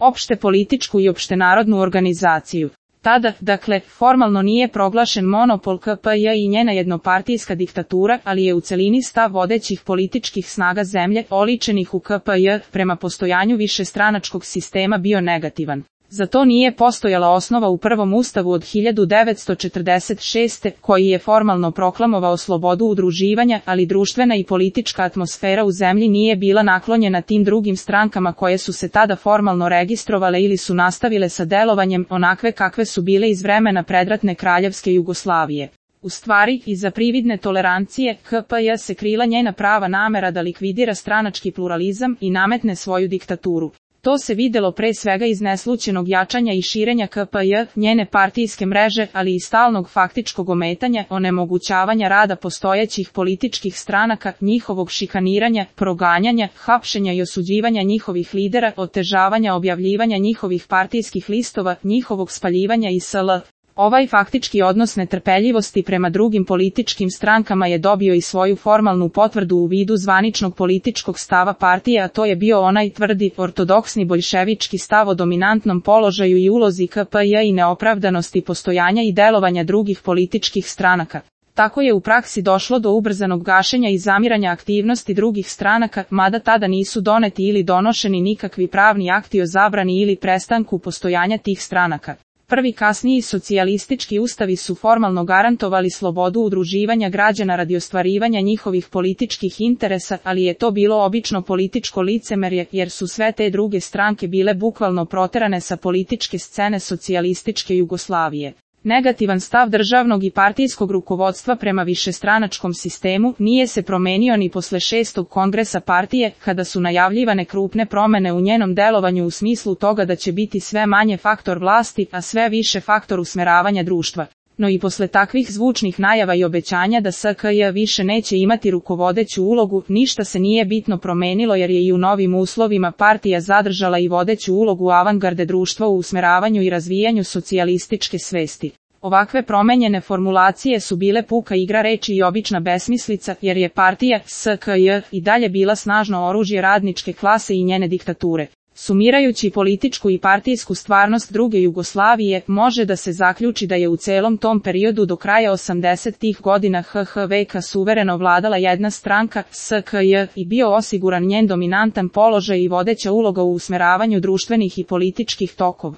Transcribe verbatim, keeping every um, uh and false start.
opšte političku i opštenarodnu organizaciju. Tada, dakle, formalno nije proglašen monopol K P J i njena jednopartijska diktatura, ali je u celini stav vodećih političkih snaga zemlje, oličenih u K P J, prema postojanju višestranačkog sistema bio negativan. Za to nije postojala osnova u prvom ustavu od hiljadu devetsto četrdeset šeste. koji je formalno proklamovao slobodu udruživanja, ali društvena i politička atmosfera u zemlji nije bila naklonjena tim drugim strankama koje su se tada formalno registrovale ili su nastavile sa delovanjem onakve kakve su bile iz vremena predratne kraljevske Jugoslavije. U stvari, iza prividne tolerancije, K P J se krila njena prava namera da likvidira stranački pluralizam i nametne svoju diktaturu. To se videlo pre svega iz neslućenog jačanja i širenja K P J, njene partijske mreže, ali i stalnog faktičkog ometanja, onemogućavanja rada postojećih političkih stranaka, njihovog šikaniranja, proganjanja, hapšenja i osuđivanja njihovih lidera, otežavanja objavljivanja njihovih partijskih listova, njihovog spaljivanja i sl. Ovaj faktički odnos netrpeljivosti prema drugim političkim strankama je dobio i svoju formalnu potvrdu u vidu zvaničnog političkog stava partije, a to je bio onaj tvrdi, ortodoksni boljševički stav o dominantnom položaju i ulozi K P J i neopravdanosti postojanja i delovanja drugih političkih stranaka. Tako je u praksi došlo do ubrzanog gašenja i zamiranja aktivnosti drugih stranaka, mada tada nisu doneti ili donošeni nikakvi pravni akti o zabrani ili prestanku postojanja tih stranaka. Prvi kasniji socijalistički ustavi su formalno garantovali slobodu udruživanja građana radi ostvarivanja njihovih političkih interesa, ali je to bilo obično političko licemerje, jer su sve te druge stranke bile bukvalno proterane sa političke scene socijalističke Jugoslavije. Negativan stav državnog i partijskog rukovodstva prema višestranačkom sistemu nije se promenio ni posle šestog kongresa partije, kada su najavljivane krupne promene u njenom delovanju u smislu toga da će biti sve manje faktor vlasti, a sve više faktor usmeravanja društva. No i posle takvih zvučnih najava i obećanja da S K J više neće imati rukovodeću ulogu, ništa se nije bitno promenilo jer je i u novim uslovima partija zadržala i vodeću ulogu avangarde društva u usmeravanju i razvijanju socijalističke svesti. Ovakve promenjene formulacije su bile puka igra reči i obična besmislica, jer je partija S K J i dalje bila snažno oružje radničke klase i njene diktature. Sumirajući političku i partijsku stvarnost druge Jugoslavije, može da se zaključi da je u celom tom periodu do kraja osamdesetih godina H H V K suvereno vladala jedna stranka, S K J, i bio osiguran njen dominantan položaj i vodeća uloga u usmeravanju društvenih i političkih tokova.